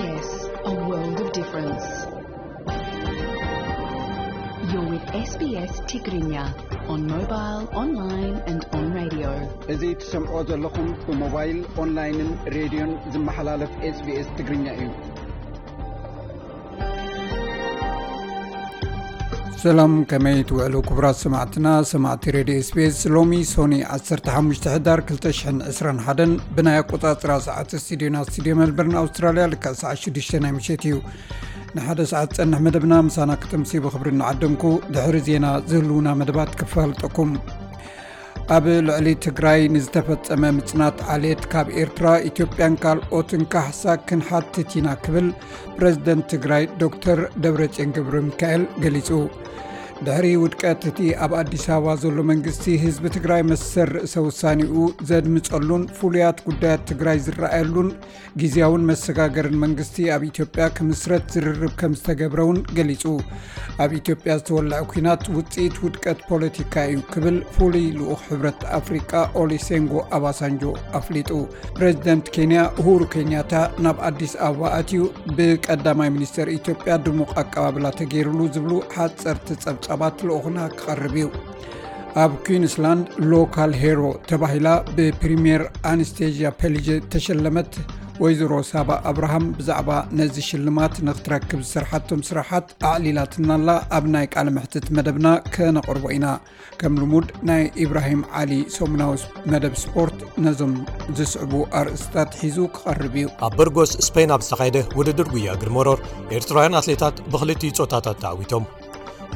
Yes, a world of difference. You're with S B S Tigrinya on mobile, online and on radio. እዚ ትሰምዖ ዘለኹም ብሞባይል፣ ኦንላይንን ሬድዮን ዝመሓላለፍ SBS ትግርኛ እዩ። ሰላም፣ ከመይ ትውዕሉ ክቡራት ሰማዕትና፣ ሰማዕቲ ሬድዮ SBS? ሎሚ ሶኒ ዓሰርተ ሓሙሽተ ሕዳር ክልተ ሽሕን ዕስራን ሓደን ብናይ ኣቆጻጽራ ሰዓት ስቱዲዮና፣ ስቱዲዮ ሜልበርን ኣውስትራልያ፣ ልክዕ ሰዓት ሽዱሽተ ናይ ምሸት እዩ። ንሓደ ሰዓት ጸንሕ መደብና ምሳና ክተምሲ ብኽብሪ እናዓደምኩ፣ ድሕሪ ዜና ዝህልውና መደባት ክፋልጠኩም። ኣብ ልዕሊ ትግራይ ንዝተፈጸመ ምጽናት ዓሌት ካብ ኤርትራ፣ ኢትዮጵያን ካልኦትን ካሕሳ ክንሓትት ኢና ክብል ፕረዚደንት ትግራይ ዶክተር ደብረጽዮን ገብረ ሚካኤል ገሊጹ። ድሕሪ ውድቀት እቲ ኣብ ኣዲስ ኣበባ ዘሎ መንግስቲ፣ ህዝቢ ትግራይ መሰል ርእሰ ውሳኔኡ ዘድምጸሉን ፍሉያት ጉዳያት ትግራይ ዝረኣየሉን ግዝያውን መሰጋገርን መንግስቲ ኣብ ኢትዮጵያ ክምስረት ዝርርብ ከም ዝተገብረ እውን ገሊጹ። ኣብ ኢትዮጵያ ዝተወልዐ ኲናት ውጽኢት ውድቀት ፖለቲካ እዩ ክብል ፍሉይ ልኡኽ ሕብረት ኣፍሪቃ ኦሊሴንጎ ኣባሳንጆ ኣፍሊጡ። ፕሬዚደንት ኬንያ ኡሁሩ ኬንያታ ናብ ኣዲስ ኣበባ ኣትዩ ብቀዳማይ ሚኒስተር ኢትዮጵያ ድሙቕ ኣቀባብላ ተገይሩሉ ዝብሉ ሓጸርቲ ጸብጻባት ልኡኽና ክቐርብ እዩ። ኣብ ኲንስላንድ ሎካል ሄሮ ተባሂላ ብፕሪምየር ኣንስቴዥያ ፔሊጀ ተሸለመት ወይዘሮ ሳባ ኣብርሃም ብዛዕባ ነዚ ሽልማት ንክትረክብ ዝሰርሓቶም ስራሓት ኣዕሊላትና ኣላ። ኣብ ናይ ቃለ መሕትት መደብና ከነቕርቦ ኢና። ከም ልሙድ ናይ ኢብራሂም ዓሊ ሰሙናዊ መደብ ስፖርት ነዞም ዝስዕቡ ኣርእስታት ሒዙ ክቐርብ እዩ። ኣብ በርጎስ ስፔን ኣብ ዝተኻየደ ውድድር ጉያ እግሪ መሮር ኤርትራውያን ኣትሌታት ብክልቲኡ ጾታታት ተዓዊቶም።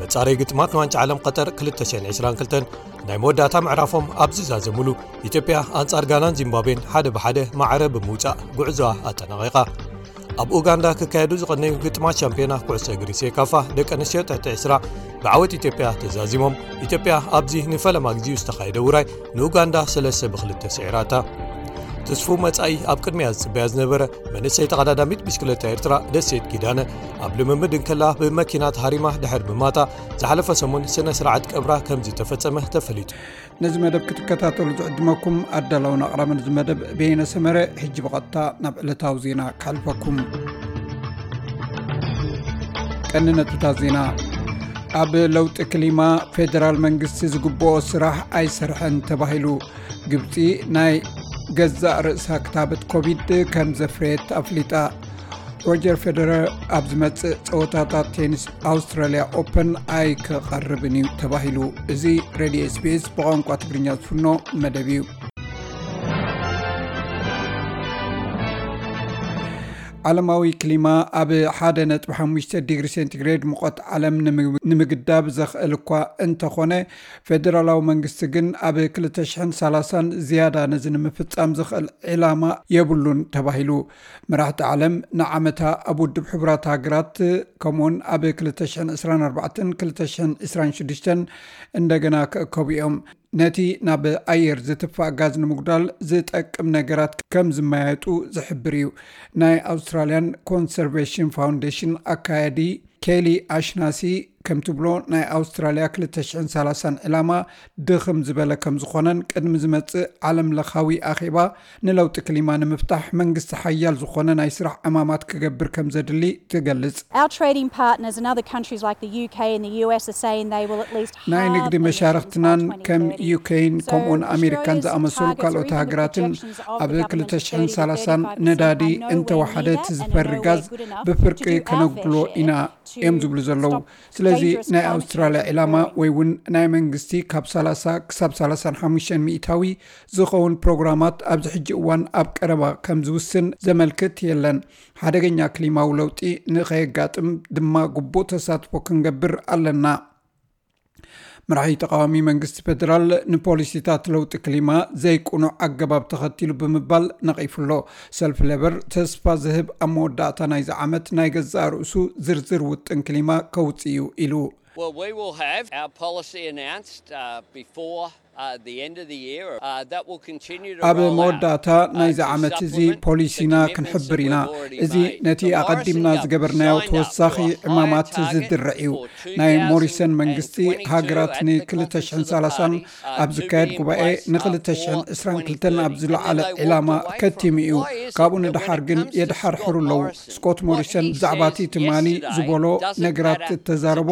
መጻረይ ግጥማት ንዋንጫ ዓለም ቀጠር ክልተ ሽሕን ዕስራን ክልተን ናይ መወዳእታ ምዕራፎም ኣብ ዝዛዘሙሉ፣ ኢትዮጵያ ኣንጻር ጋናን ዚምባብዌን ሓደ ብሓደ ማዕረ ብምውጻእ ጉዕዞኣ ኣጠናቒቓ። ኣብ ኡጋንዳ ክካየዱ ዝቐነዩ ግጥማት ሻምፒዮና ኩዕሶ እግሪ ሴካፋ ደቂ ኣንስትዮ ትሕቲ ዕስራ ብዓወት ኢትዮጵያ ተዛዚሞም። ኢትዮጵያ ኣብዚ ንፈለማ ግዜኡ ዝተኻየደ ውራይ ንኡጋንዳ ሰለስተ ብክልተ ስዒራታ። ትስፉው መጻኢ ኣብ ቅድሚያ ዝጽበያ ዝነበረ መንእሰይ ተቐዳዳሚት ብሽክለታ ኤርትራ ደሴት ኪዳነ ኣብ ልምምድ እንከላ ብመኪና ተሃሪማ ድሕሪ ምማታ ዝሓለፈ ሰሙን ስነ ስርዓት ቀብራ ከም ዝተፈጸመ ተፈሊጡ። ነዚ መደብ ክትከታተሉ ዝዕድመኩም ኣዳላውን ኣቕራብን እዚ መደብ በየነ ሰመረ። ሕጂ ብቐጥታ ናብ ዕለታዊ ዜና ከሕልፈኩም። ቀንዲ ነጥብታት ዜና። ኣብ ለውጢ ክሊማ ፌደራል መንግስቲ ዝግብኦ ስራሕ ኣይሰርሐን ተባሂሉ። ግብጺ ናይ ገዛእ ርእሳ ክታበት ኮቪድ ከም ዘፍረየት ኣፍሊጣ። ሮጀር ፌደረር ኣብ ዝመጽእ ጸወታታት ቴኒስ ኣውስትራልያ ኦፐን ኣይክቐርብን እዩ ተባሂሉ። እዚ ሬድዮ SBS ብቋንቋ ትግርኛ ዝፍኖ መደብ እዩ። ዓለማዊ ክሊማ ኣብ ሓደ ነጥቢ ሓሙሽተ ዲግሪ ሴንቲግሬድ ሙቐት ዓለም ንምግ-፣ ንምግዳብ ዘኽእል እኳ እንተኾነ፣ ፌደራላዊ መንግስቲ ግን ኣብ ክልተ ሽሕን ሰላሳን ዝያዳ ነዚ ንምፍጻም ዘኽእል ዕላማ የብሉን ተባሂሉ። መራሕቲ ዓለም ንዓመታ ኣብ ውድብ ሕቡራት ሃገራት ከምኡውን ኣብ ክልተ ሽሕን ዕስራን ኣርባዕተን ክልተ ሽሕን ዕስራን ሽዱሽተን እንደገና ክእከቡ እዮም። ነቲ ናብ ኣየር ዝትፋእ ጋዝ ንምጉዳል ዝጠቅም ነገራት ከም ዝመያየጡ ዝሕብር እዩ። ናይ ኣውስትራልያን ኮንሰርቬሽን ፋውንዴሽን ኣካያዲ ኬሊ ኣሽናሲ ከም ትብሎ፣ ናይ ኣውስትራልያ ክልተ ሽሕን ሰላሳን ዕላማ ድኽም ዝበለ ከም ዝኾነን ቅድሚ ዝመጽእ ዓለም ለኻዊ ኣኼባ ንለውጢ ክሊማ ንምፍታሕ መንግስቲ ሓያል ዝኾነ ናይ ስራሕ ዕማማት ክገብር ከም ዘድሊ ትገልጽ። Our trading partners and other countries like the U K and the U S are saying they will at least halve ናይ ንግዲ emissions by መሻርክትናን ከም twenty thirty. ዩኬን So ከምኡን ኣሜሪካን ዝኣመሰሉ ካልኦት ሃገራትን ኣብ ክልተ ሽሕን ሰላሳን ነዳዲ እንተወሓደ እቲ ዝፈሪ ጋዝ ብፍርቂ ከነጉድሎ ኢና እዮም ዝብሉ ዘለዉ። ስለዚ ናይ ኣውስትራልያ ዕላማ ወይ እውን ናይ መንግስቲ ካብ ሰላሳ ክሳብ ሰላሳን ሓሙሽተን ሚእታዊ ዝኸውን ፕሮግራማት ኣብዚ ሕጂ እዋን ኣብ ቀረባ ከም ዝውስን ዘመልክት የለን። ሓደገኛ ክሊማዊ ለውጢ ንኸየጋጥም ድማ ግቡእ ተሳትፎ ክንገብር ኣለና። መራሒ ተቃዋሚ መንግስቲ ፌደራል ንፖሊሲታት ለውጢ ክሊማ ዘይቅኑዕ ኣገባብ ተኸቲሉ ብምባል ነቒፉ ኣሎ። ሰልፊ ሌበር ተስፋ ዝህብ ኣብ መወዳእታ ናይዚ ዓመት ናይ ገዛእ ርእሱ ዝርዝር ውጥን ክሊማ ከውጽእ እዩ ኢሉ። Well, we will have our policy announced, uh, before At the end of the year, uh, that will continue to ኣብ መወዳእታ ናይዚ ዓመት እዚ ፖሊሲና ክንሕብር ኢና። እዚ ነቲ ኣቐዲምና ዝገበርናዮ ተወሳኺ ዕማማት ዝድርዕ እዩ። ናይ ሞሪሰን መንግስቲ ሃገራት ን2030 ኣብ ዝካየድ ጉባኤ ን2022 ኣብ ዝለዓለ ዕላማ ከቲሙ እዩ። ካብኡ ንደሓር ግን የድሓርሕሩ ኣለዉ። ስኮት ሞሪሰን ብዛዕባ እቲ ትማሊ ዝበሎ ነገራት እተዛረቦ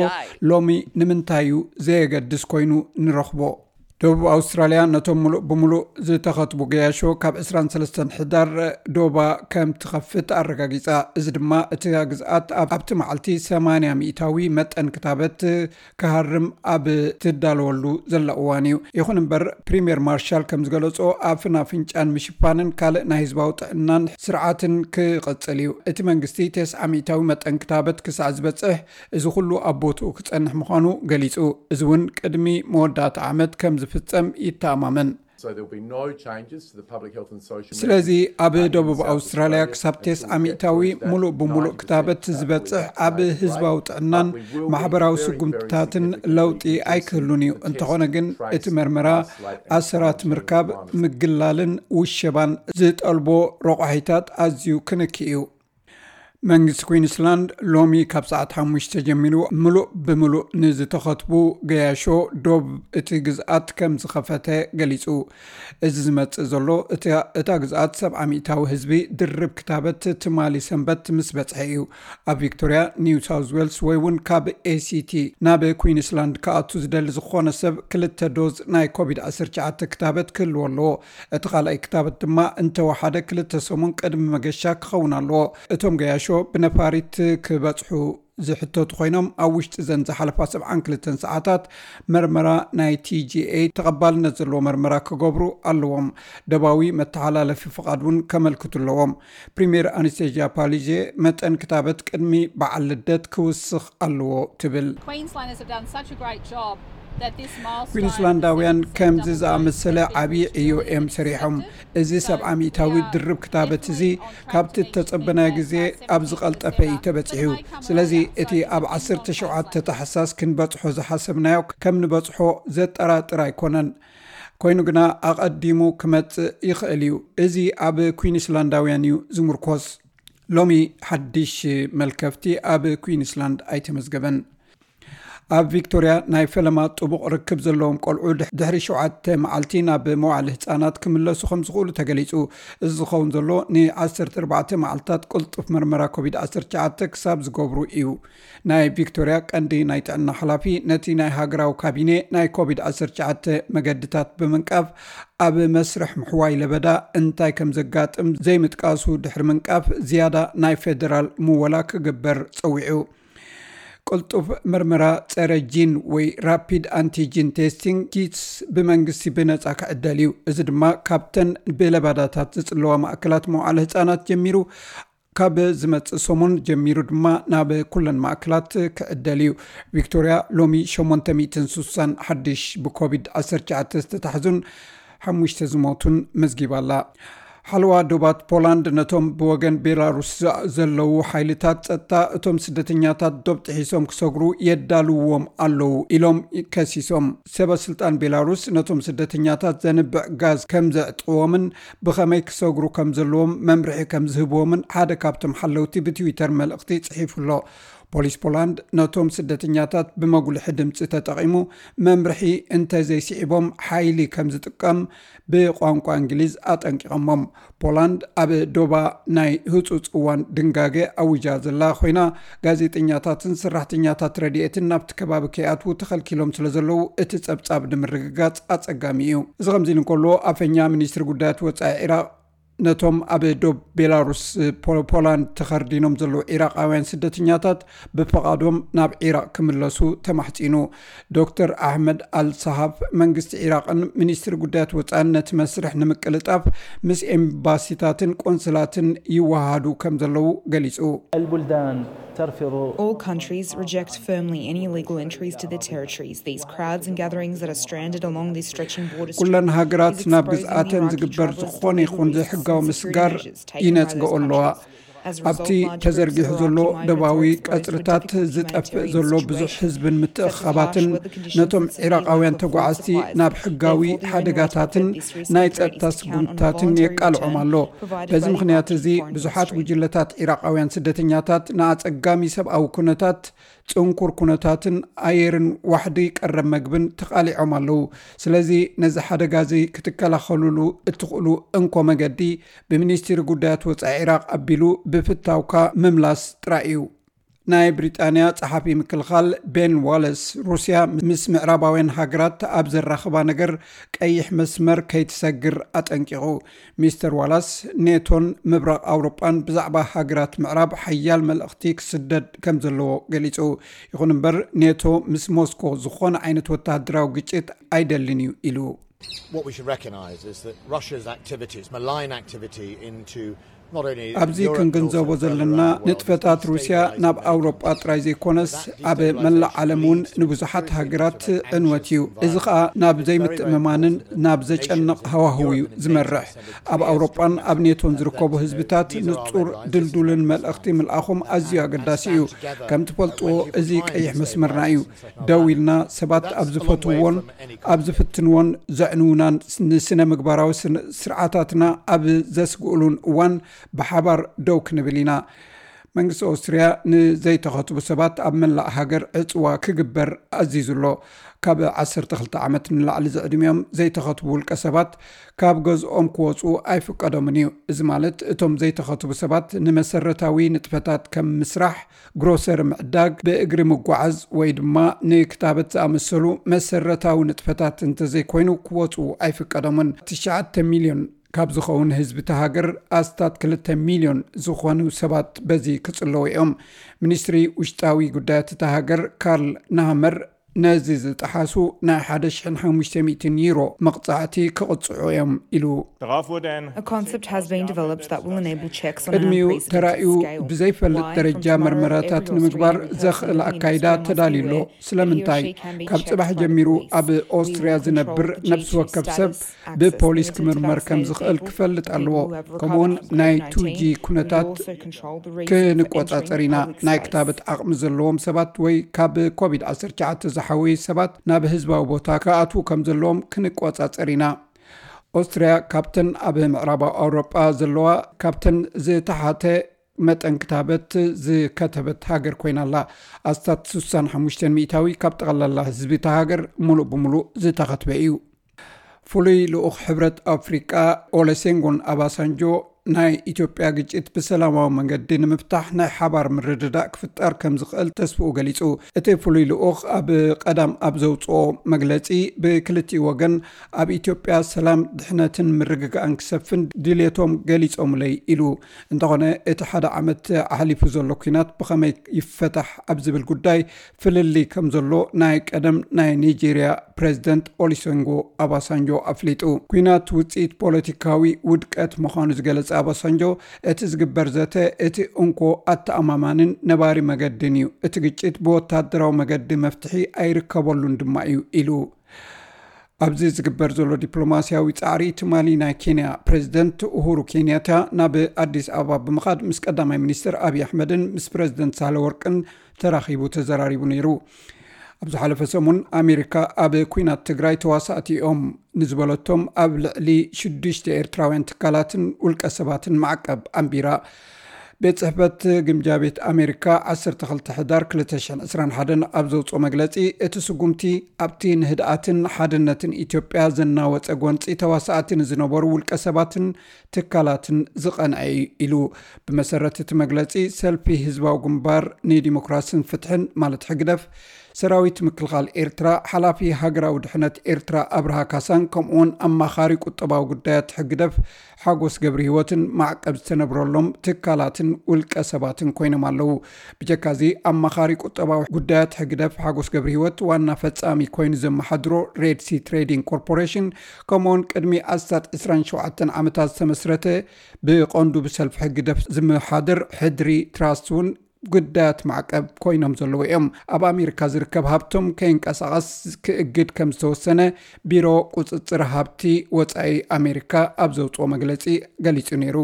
ሎሚ ንምንታይ እዩ ዘየገድስ ኮይኑ ንረኽቦ። ደቡብ ኣውስትራልያ ነቶም ምሉእ ብምሉእ ዝተኸትቡ ገያሾ ካብ 23 ሕዳር ዶባ ከም ትኸፍት ኣረጋጊጻ። እዚ ድማ እቲ ግዝኣት ኣብቲ መዓልቲ 80 ሚእታዊ መጠን ክታበት ክሃርም ኣብ ትዳለወሉ ዘላ እዋን እዩ። ይኹን እምበር ፕሪምየር ማርሻል ከም ዝገለጾ ኣፍን ኣፍንጫን ምሽፋንን ካልእ ናይ ህዝባዊ ጥዕናን ስርዓትን ክቐጽል እዩ። እቲ መንግስቲ 90 ሚእታዊ መጠን ክታበት ክሳዕ ዝበጽሕ እዚ ኩሉ ኣብ ቦትኡ ክጸንሕ ምዃኑ ገሊጹ። እዚ እውን ቅድሚ መወዳእታ ዓመት ከም ዝፍጸም ይተኣማመን። ስለዚ ኣብ ደቡብ ኣውስትራልያ ክሳብ ቴስዓ ሚእታዊ ሙሉእ ብምሉእ ክታበት ዝበጽሕ ኣብ ህዝባዊ ጥዕናን ማሕበራዊ ስጉምትታትን ለውጢ ኣይክህሉን እዩ። እንተኾነ ግን እቲ መርመራ ኣሰራት ምርካብ፣ ምግላልን ውሸባን ዝጠልቦ ረቋሒታት ኣዝዩ ክንኪ እዩ። መንግስቲ ኩዊንስላንድ ሎሚ ካብ ሰዓት ሓሙሽተ ጀሚሩ ምሉእ ብምሉእ ንዝተኸትቡ ገያሾ ዶብ እቲ ግዝኣት ከም ዝኸፈተ ገሊጹ። እዚ ዝመጽእ ዘሎ እታ ግዝኣት ሰብዓ ሚእታዊ ህዝቢ ድርብ ክታበት ትማሊ ሰንበት ምስ በጽሐ እዩ። ኣብ ቪክቶርያ፣ ኒው ሳውዝ ዌልስ ወይ እውን ካብ ኤሲቲ ናብ ኩዊንስላንድ ክኣቱ ዝደሊ ዝኾነ ሰብ ክልተ ዶዝ ናይ ኮቪድ-19 ክታበት ክህልዎ ኣለዎ። እቲ ካልኣይ ክታበት ድማ እንተወሓደ ክልተ ሰሙን ቅድሚ መገሻ ክኸውን ኣለዎ። እቶም ገያሾ ብነፋሪት ክበጽሑ ዝሕተቱ ኮይኖም ኣብ ውሽጢ ዘን ዝሓለፋ 72 ሰዓታት መርመራ ናይ ቲጂኤ ተቐባልነት ዘለዎ መርመራ ክገብሩ ኣለዎም። ደባዊ መተሓላለፊ ፍቓድ እውን ከመልክቱ ኣለዎም። ፕሪምየር ኣነስቴዥያ ፓሊዜ መጠን ክታበት ቅድሚ በዓል ልደት ክውስኽ ኣለዎ ትብል። Queenslanders have done such a great job. ኩዊንስላንዳውያን ከምዚ ዝኣመሰለ ዓብዪ ዕዮ እዮም ሰሪሖም። እዚ ሰብዓ ሚእታዊ ድርብ ክታበት እዚ ካብቲ እተጸበናዮ ግዜ ኣብ ዝቐልጠፈ እዩ ተበጺሑ። ስለዚ እቲ ኣብ 17 ታሕሳስ ክንበጽሖ ዝሓሰብናዮ ከም ንበጽሖ ዘጠራጥር ኣይኮነን። ኮይኑ ግና ኣቐዲሙ ክመጽእ ይኽእል እዩ። እዚ ኣብ ኩዊንስላንዳውያን እዩ ዝምርኮስ። ሎሚ ሓድሽ መልከፍቲ ኣብ ኩዊንስላንድ ኣይተመዝገበን። ኣብ ቪክቶርያ ናይ ፈለማ ጥቡቕ ርክብ ዘለዎም ቆልዑ ድሕሪ ሸውዓተ መዓልቲ ናብ መዋዕለ ህጻናት ክምለሱ ከም ዝኽእሉ ተገሊጹ። እዚ ዝኸውን ዘሎ ን14 መዓልታት ቅልጡፍ መርመራ ኮቪድ-19 ክሳብ ዝገብሩ እዩ። ናይ ቪክቶርያ ቀንዲ ናይ ጥዕና ሓላፊ ነቲ ናይ ሃገራዊ ካቢኔ ናይ ኮቪድ-19 መገድታት ብምንቃፍ ኣብ መስርሕ ምሕዋይ ለበዳ እንታይ ከም ዘጋጥም ዘይምጥቃሱ ድሕሪ ምንቃፍ ዝያዳ ናይ ፌደራል ምወላ ክግበር ጸዊዑ። ቅልጡፍ መርመራ ጸረ ጂን ወይ ራፒድ ኣንቲጂን ቴስቲንግ ኪትስ ብመንግስቲ ብነጻ ክዕደል እዩ። እዚ ድማ ካብተን ብለባዳታት ዝጽለዋ ማእከላት መዋዕለ ህጻናት ጀሚሩ ካብ ዝመጽእ ሰሙን ጀሚሩ ድማ ናብ ኩለን ማእከላት ክዕደል እዩ። ቪክቶርያ ሎሚ 860 ሓድሽ ብኮቪድ-19 ዝተታሕዙን ሓሙሽተ ዝሞቱን መዝጊባ ኣላ። ሓለዋ ዶባት ፖላንድ ነቶም ብወገን ቤላሩስ ዘለዉ ሓይልታት ጸጥታ እቶም ስደተኛታት ዶብ ጥሒሶም ክሰግሩ የዳልውዎም ኣለዉ ኢሎም ከሲሶም። ሰበ ስልጣን ቤላሩስ ነቶም ስደተኛታት ዘንብዕ ጋዝ ከም ዘዕጥዎምን ብኸመይ ክሰግሩ ከም ዘለዎም መምርሒ ከም ዝህብዎምን ሓደ ካብቶም ሓለውቲ ብትዊተር መልእኽቲ ጽሒፉ ኣሎ። ፖሊስ ፖላንድ ነቶም ስደተኛታት ብመጉልሒ ድምጺ ተጠቒሙ መምርሒ እንተዘይስዒቦም ሓይሊ ከም ዝጥቀም ብቋንቋ እንግሊዝ ኣጠንቂቐሞም። ፖላንድ ኣብ ዶባ ናይ ህጹጽ እዋን ድንጋገ ኣዊጃ ዘላ ኮይና፣ ጋዜጠኛታትን ሰራሕተኛታት ረድኤትን ናብቲ ከባቢ ከይኣትዉ ተኸልኪሎም ስለ ዘለዉ እቲ ጸብጻብ ንምርግጋጽ ኣጸጋሚ እዩ። እዚ ከምዚ ኢሉ እንከሎ፣ ኣፈኛ ሚኒስትሪ ጉዳያት ወጻኢ ዒራቕ ነቶም ኣብ ዶብ ቤላሩስ ፖ- ፖላንድ ተኸርዲኖም ዘለዉ ዒራቃውያን ስደተኛታት ብፈቓዶም ናብ ዒራቕ ክምለሱ ተማሕጺኑ። ዶክተር ኣሕመድ ኣልሰሃፍ መንግስቲ ዒራቕን ሚኒስትሪ ጉዳያት ወጻኢን ነቲ መስርሕ ንምቅልጣፍ ምስ ኤምባሲታትን ቆንስላትን ይወሃሃዱ ከም ዘለዉ ገሊጹ። البلدان ترفض All countries reject firmly any illegal entries to their territories. These crowds and gatherings that are stranded along these stretching border ኩለን ሃገራት ናብ ግዝኣተን ዝግበር ዝኾነ ይኹን ዘይሕጋዊ ምስጋር ይነጽገኦ ኣለዋ። ኣብቲ ተዘርጊሑ ዘሎ ደባዊ ቀጽርታት ዝጠፍእ ዘሎ ብዙሕ ህዝብን ምትእኽኻባትን ነቶም ዒራቓውያን ተጓዓዝቲ ናብ ሕጋዊ ሓደጋታትን ናይ ጸጥታ ስጉምትታትን የቃልዖም ኣሎ። በዚ ምኽንያት እዚ ብዙሓት ጉጅለታት ዒራቓውያን ስደተኛታት ንኣጸጋሚ ሰብኣዊ ኩነታት፣ ጽንኩር ኩነታትን ኣየርን ዋሕዲ ቀረብ መግብን ተቓሊዖም ኣለዉ። ስለዚ ነዚ ሓደጋ እዚ ክትከላኸሉሉ እትኽእሉ እንኮ መገዲ ብሚኒስትሪ ጉዳያት ወጻኢ ዒራቕ ኣቢሉ ብፍታውካ ምምላስ ጥራይ እዩ። ናይ ብሪጣንያ ጸሓፊ ምክልኻል ቤን ዋለስ፣ ሩስያ ምስ ምዕራባውያን ሃገራት ኣብ ዘራኽባ ነገር ቀይሕ መስመር ከይትሰግር ኣጠንቂቑ። ሚስተር ዋላስ፣ ኔቶን ምብራቕ ኣውሮጳን ብዛዕባ ሃገራት ምዕራብ ሓያል መልእኽቲ ክስደድ ከም ዘለዎ ገሊጹ። ይኹን እምበር፣ ኔቶ ምስ ሞስኮ ዝኾነ ዓይነት ወተሃደራዊ ግጭት ኣይደልን እዩ ኢሉ። What we should recognise is that Russia's activities, malign activity into not only ኣብዚ ክንግንዘቦ ዘለና ንጥፈታት ሩስያ ናብ ኣውሮጳ ጥራይ ዘይኮነስ ኣብ መላእ ዓለም እውን ንብዙሓት ሃገራት ዕንወት እዩ። እዚ ኸኣ ናብ ዘይምትእምማንን ናብ ዘጨንቕ ሃዋህው እዩ ዝመርሕ። ኣብ ኣውሮጳን ኣብ ኔቶን ዝርከቡ ህዝብታት ንጹር ድልዱልን መልእኽቲ ምልኣኹም ኣዝዩ ኣገዳሲ እዩ። ከም ትፈልጥዎ፣ እዚ ቀይሕ መስመርና እዩ። ደው ኢልና ሰባት ኣብ ዝፈትውዎን ኣብ ዝፍትንዎን ዘዕንውናን ንስነ ምግባራዊ ስርዓታትና ኣብ ዘስግእሉን እዋን ብሓባር ደው ክንብል ኢና። መንግስቲ ኦስትርያ ንዘይተኸትቡ ሰባት ኣብ መላእ ሃገር ዕጽዋ ክግበር ኣዚዙ ኣሎ። ካብ ዓሰርተ ክልተ ዓመት ንላዕሊ ዝዕድሚኦም ዘይተኸትቡ ውልቀ ሰባት ካብ ገዝኦም ክወጹ ኣይፍቀዶምን እዩ። እዚ ማለት እቶም ዘይተኸትቡ ሰባት ንመሰረታዊ ንጥፈታት ከም ምስራሕ፣ ግሮሰሪ ምዕዳግ፣ ብእግሪ ምጓዓዝ ወይ ድማ ንክታበት ዝኣመሰሉ መሰረታዊ ንጥፈታት እንተዘይኮይኑ ክወጹ ኣይፍቀዶምን። ትሽዓተ ሚልዮን ካብ ዝኸውን ህዝቢ እታ ሃገር ኣስታት ክልተ ሚልዮን ዝኾኑ ሰባት በዚ ክጽለዉ እዮም። ሚኒስትሪ ውሽጣዊ ጉዳያት እታ ሃገር ካርል ናሃመር ነዚ ዝጠሓሱ ናይ ሓደ ሽሕን ሓሙሽተ ሚእትን ዩሮ መቕጻዕቲ ክቕጽዑ እዮም ኢሉ። A concept has been developed that will enable checks on an ቅድሚኡ unprecedented ተራእዩ scale. ብዘይፈልጥ ደረጃ መርመራታት ንምግባር ዘኽእል ኣካይዳ ተዳልዩ ኣሎ። ስለምንታይ? ካብ ጽባሕ ጀሚሩ ኣብ ኦስትርያ ዝነብር ነፍሲ ወከፍ ሰብ ብፖሊስ ክምርመር ከም ዝኽእል ክፈልጥ ኣለዎ። ከምኡውን ናይ ቱ ጂ ኩነታት ክንቆጻጸር ኢና። ናይ ክታበት ዓቕሚ ዘለዎም ሰባት ወይ ካብ ኮቪድ ዓሰርተ ትሽዓተ ዝሓወዩ ሰባት ናብ ህዝባዊ ቦታ ክኣትዉ ከም ዘለዎም ክንቆጻጸር ኢና። ኦስትርያ ካብተን ኣብ ምዕራባዊ ኣውሮጳ ዘለዋ ካብተን ዝተሓተ መጠን ክታበት ዝከተበት ሃገር ኮይና ኣላ። ኣስታት ስሳን ሓሙሽተን ሚእታዊ ካብ ጠቕላላ ህዝቢ እታ ሃገር ሙሉእ ብሙሉእ ዝተኸትበ እዩ። ፍሉይ ልኡኽ ሕብረት ኣፍሪቃ ኦለሴንጎን ኣባሳንጆ ናይ ኢትዮጵያ ግጭት ብሰላማዊ መንገዲ ንምፍታሕ ናይ ሓባር ምርድዳእ ክፍጠር ከም ዝኽእል ተስፍኡ ገሊጹ። እቲ ፍሉይ ልኡኽ ኣብ ቀዳም ኣብ ዘውጽኦ መግለጺ፣ ብክልቲኡ ወገን ኣብ ኢትዮጵያ ሰላም፣ ድሕነትን ምርግጋእን ክሰፍን ድሌቶም ገሊጾምለይ ኢሉ። እንተኾነ እቲ ሓደ ዓመት ኣሕሊፉ ዘሎ ኲናት ብኸመይ ይፈታሕ ኣብ ዝብል ጉዳይ ፍልልይ ከም ዘሎ ናይ ቀደም ናይ ኒጀርያ ፕሬዝደንት ኦሊሰንጎ ኣባሳንጆ ኣፍሊጡ። ኲናት ውጽኢት ፖለቲካዊ ውድቀት ምዃኑ ዝገለጸ ኣባሳንጆ፣ እቲ ዝግበር ዘተ እቲ እንኮ ኣተኣማማንን ነባሪ መገድን እዩ። እቲ ግጭት ብወታደራዊ መገዲ መፍትሒ ኣይርከበሉን ድማ እዩ ኢሉ። ኣብዚ ዝግበር ዘሎ ዲፕሎማስያዊ ጻዕሪ፣ ትማሊ ናይ ኬንያ ፕሬዝደንት ኡሁሩ ኬንያታ ናብ ኣዲስ ኣበባ ብምኻድ ምስ ቀዳማይ ሚኒስትር ኣብይ ኣሕመድን ምስ ፕሬዝደንት ሳህለወርቅን ተራኺቡ ተዘራሪቡ ነይሩ። ኣብ ዝሓለፈ ሰሙን ኣሜሪካ ኣብ ኲናት ትግራይ ተዋሳእቲ እዮም ንዝበለቶም ኣብ ልዕሊ ሽዱሽተ ኤርትራውያን ትካላትን ውልቀ ሰባትን ማዕቀብ ኣንቢራ። ቤት ጽሕፈት ግምጃ ቤት ኣሜሪካ ዓሰርተ ክልተ ሕዳር ክልተ ሽሕን ዕስራን ሓደን ኣብ ዘውጽኦ መግለጺ፣ እቲ ስጉምቲ ኣብቲ ንህድኣትን ሓድነትን ኢትዮጵያ ዘናወጸ ጎንጺ ተዋሳእቲ ንዝነበሩ ውልቀ ሰባትን ትካላትን ዝቐንዐ እዩ ኢሉ። ብመሰረት እቲ መግለጺ፣ ሰልፊ ህዝባዊ ግንባር ንዲሞክራስን ፍትሕን ማለት ሕግደፍ፣ ሰራዊት ምክልኻል ኤርትራ፣ ሓላፊ ሃገራዊ ድሕነት ኤርትራ ኣብርሃ ካሳን ከምኡውን ኣማኻሪ ቁጠባዊ ጉዳያት ሕግደፍ ሓጎስ ገብረ ህይወትን ማዕቀብ ዝተነብረሎም ትካላትን ውልቀ ሰባትን ኮይኖም ኣለዉ። ብጀካዚ ኣማኻሪ ቁጠባዊ ጉዳያት ሕግደፍ ሓጎስ ገብረ ህይወት ዋና ፈጻሚ ኮይኑ ዘመሓድሮ ሬድ ሲ ትሬዲንግ ኮርፖሬሽን፣ ከምኡውን ቅድሚ ኣስታት ዕስራን ሸውዓተን ዓመታት ዝተመስረተ ብቐንዱ ብሰልፊ ሕግደፍ ዝመሓደር ሕድሪ ትራስት እውን ጉዳያት ማዕቀብ ኮይኖም ዘለዉ እዮም። ኣብ ኣሜሪካ ዝርከብ ሃብቶም ከይንቀሳቐስ ክእግድ ከም ዝተወሰነ ቢሮ ቁጽጽር ሃብቲ ወጻኢ ኣሜሪካ ኣብ ዘውጽኦ መግለጺ ገሊጹ ነይሩ።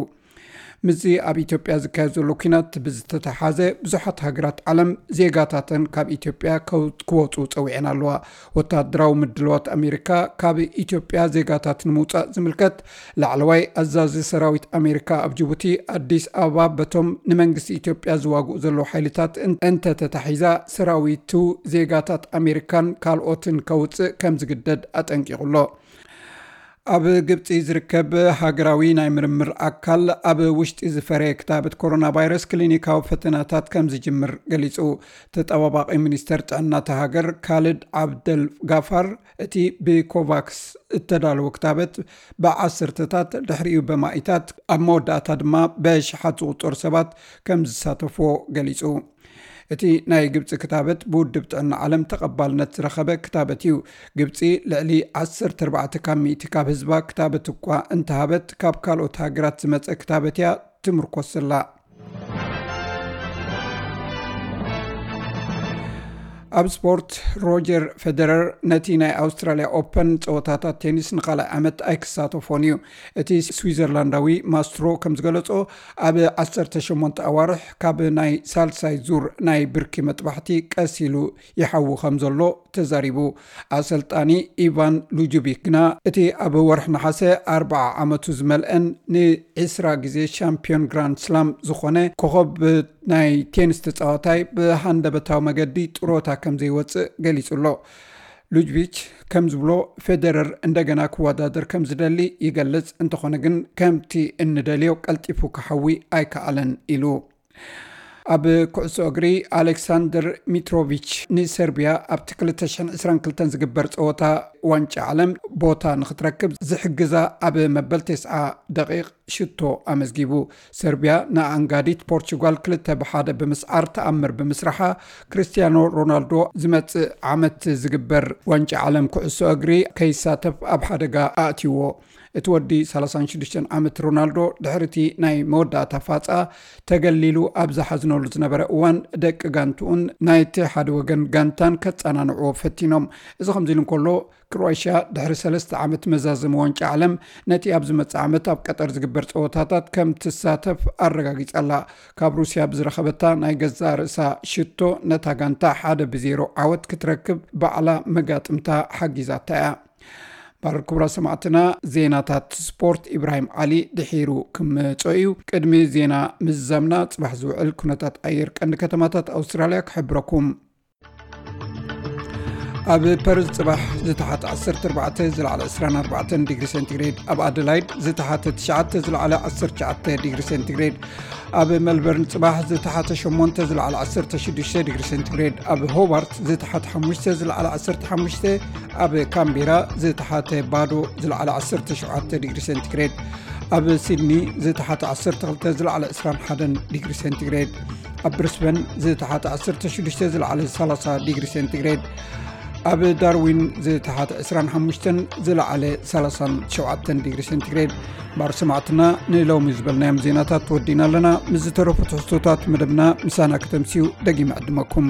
ምስዚ ኣብ ኢትዮጵያ ዝካየድ ዘሎ ኲናት ብዝተተሓዘ፣ ብዙሓት ሃገራት ዓለም ዜጋታተን ካብ ኢትዮጵያ ከው-፣ ክወፁ ፀዊዐን ኣለዋ። ወታደራዊ ምድልዋት ኣሜሪካ ካብ ኢትዮጵያ ዜጋታት ንምውፃእ ዝምልከት፣ ላዕለዋይ ኣዛዚ ሰራዊት ኣሜሪካ ኣብ ጅቡቲ ኣዲስ ኣበባ በቶም ንመንግስቲ ኢትዮጵያ ዝዋግኡ ዘለዉ ሓይልታት እን-፣ እንተተታሒዛ፣ ሰራዊቱ ዜጋታት ኣሜሪካን ካልኦትን ከውፅእ ከም ዝግደድ ኣጠንቂቑ ኣሎ። ኣብ ግብፂ ዝርከብ ሃገራዊ ናይ ምርምር ኣካል፣ ኣብ ውሽጢ ዝፈረየ ክታበት ኮሮና ቫይረስ ክሊኒካዊ ፈተናታት ከም ዝጅምር ገሊጹ። ተጠባባቒ ሚኒስተር ጥዕና እታ ሃገር፣ ካልድ ዓብደል ጋፋር፣ እቲ ብኮቫክስ እተዳለወ ክታበት ብዓሰርተታት፣ ድሕሪኡ በማኢታት፣ ኣብ መወዳእታ ድማ በሽሓት ዝቑጸሩ ሰባት ከም ዝሳተፍዎ ገሊጹ። እቲ ናይ ግብፂ ክታበት ብውድብ ጥዕና ዓለም ተቐባልነት ዝረኸበ ክታበት እዩ። ግብፂ ልዕሊ ዓሰርተ ኣርባዕተ ካብ ሚእቲ ካብ ህዝባ ክታበት እኳ እንተሃበት፣ ካብ ካልኦት ሃገራት ዝመፀ ክታበት እያ ትምርኮስ ዘላ። ኣብ ስፖርት፣ ሮጀር ፌደረር ነቲ ናይ ኣውስትራልያ ኦፐን ጸወታታት ቴኒስ ንኻልኣይ ዓመት ኣይክሳተፎን እዩ። እቲ ስዊዘርላንዳዊ ማስትሮ ከም ዝገለጾ፣ ኣብ ዓሰርተ ሸሞንተ ኣዋርሕ ካብ ናይ ሳልሳይ ዙር ናይ ብርኪ መጥባሕቲ ቀስ ኢሉ ይሓዊ ከም ዘሎ ተዛሪቡ። ኣሰልጣኒ ኢቫን ሉጁቢክ ግና፣ እቲ ኣብ ወርሒ ነሓሰ ኣርብዓ ዓመቱ ዝመልአን ንዒስራ ግዜ ሻምፒዮን ግራንድ ስላም ዝኾነ ኮኸብ ናይ ቴኒስ ተጻዋታይ ብሃንደበታዊ መገዲ ጥሮታ ከም ዘይወጽእ ገሊጹ ኣሎ። ሉጅቪች ከም ዝብሎ፣ ፌደረር እንደገና ክወዳደር ከም ዝደሊ ይገልጽ፣ እንተኾነ ግን ከምቲ እንደልዮ ቀልጢፉ ክሓዊ ኣይከኣለን ኢሉ። ኣብ ኩዕሶ እግሪ፣ ኣሌክሳንደር ሚትሮቪች ንሰርቢያ ኣብቲ ክልተ ሽሕን ዕስራን ክልተን ዝግበር ጸወታ ዋንጫ ዓለም ቦታ ንኽትረክብ ዝሕግዛ ኣብ መበል ተስዓ ደቂቕ ሽቶ ኣመዝጊቡ። ሰርቢያ ንኣንጋዲት ፖርቹጋል ክልተ ብሓደ ብምስዓር ተኣምር ብምስራሓ፣ ክርስቲያኖ ሮናልዶ ዝመጽእ ዓመት ዝግበር ዋንጫ ዓለም ኩዕሶ እግሪ ከይሳተፍ ኣብ ሓደጋ ኣእትይዎ። እቲ ወዲ ሰላሳን ሽዱሽተን ዓመት ሮናልዶ፣ ድሕሪ እቲ ናይ መወዳእታ ፋጻ ተገሊሉ ኣብ ዝሓዝነሉ ዝነበረ እዋን፣ ደቂ ጋንትኡን ናይቲ ሓደ ወገን ጋንታን ከጸናንዕዎ ፈቲኖም። እዚ ከምዚ ኢሉ እንከሎ፣ ክሮኤሽያ ድሕሪ ሰለስተ ዓመት መዛዘሚ ዋንጫ ዓለም፣ ነቲ ኣብ ዝመጽእ ዓመት ኣብ ቀጠር ዝግበር ጸወታታት ከም ትሳተፍ ኣረጋጊጻ ኣላ። ካብ ሩስያ ብዝረኸበታ ናይ ገዛእ ርእሳ ሽቶ፣ ነታ ጋንታ ሓደ ብዜሮ ዓወት ክትረክብ ባዕላ መጋጥምታ ሓጊዛታ እያ። ባር ክቡራት ሰማዕትና፣ ዜናታት ስፖርት ኢብራሂም ዓሊ ድሒሩ ክምጾ እዩ። ቅድሚ ዜና ምዝዛምና፣ ጽባሕ ዝውዕል ኩነታት ኣየር ቀንዲ ከተማታት ኣውስትራልያ ክሕብረኩም። ኣብ ፐርዝ ጽባሕ ዝተሓተ ዓሰርተ ኣርባዕተ፣ ዝለዓለ ዕስራን ኣርባዕተን ዲግሪ ሴንቲግሬድ፣ ኣብ ኣደላይድ ዝተሓተ ትሽዓተ፣ ዝለዓለ ዓሰርተ ትሽዓተ ዲግሪ ሴንቲግሬድ፣ ኣብ ሜልበርን ጽባሕ ዝተሓተ ሸሞንተ፣ ዝለዓለ ዓሰርተ ሽዱሽተ ዲግሪ ሴንቲግሬድ፣ ኣብ ሆባርት ዝተሓተ ሓሙሽተ፣ ዝለዓለ ዓሰርተ ሓሙሽተ፣ ኣብ ካምቤራ ዝተሓተ ባዶ፣ ዝለዓለ ዓሰርተ ሸውዓተ ዲግሪ ሴንቲግሬድ፣ ኣብ ሲድኒ ዝተሓተ ዓሰርተ ክልተ፣ ዝለዓለ ዕስራን ሓደን ዲግሪ ሴንቲግሬድ፣ ኣብ ብሪስበን ዝተሓተ ዓሰርተ ሽዱሽተ፣ ዝለዓለ ሰላሳ ዲግሪ ሴንቲግሬድ፣ ኣብ ዳርዊን ዝተሓተ ዕስራን ሓሙሽተን፣ ዝለዓለ ሰላሳን ሸውዓተን ዲግሪ ሴንቲግሬድ። ባር ሰማዕትና፣ ንሎሚ ዝበልናዮም ዜናታት ወዲና ኣለና። ምስ ዝተረፉ ትሕዝቶታት መደብና ምሳና ከተምስዩ ደጊመ ዕድመኩም።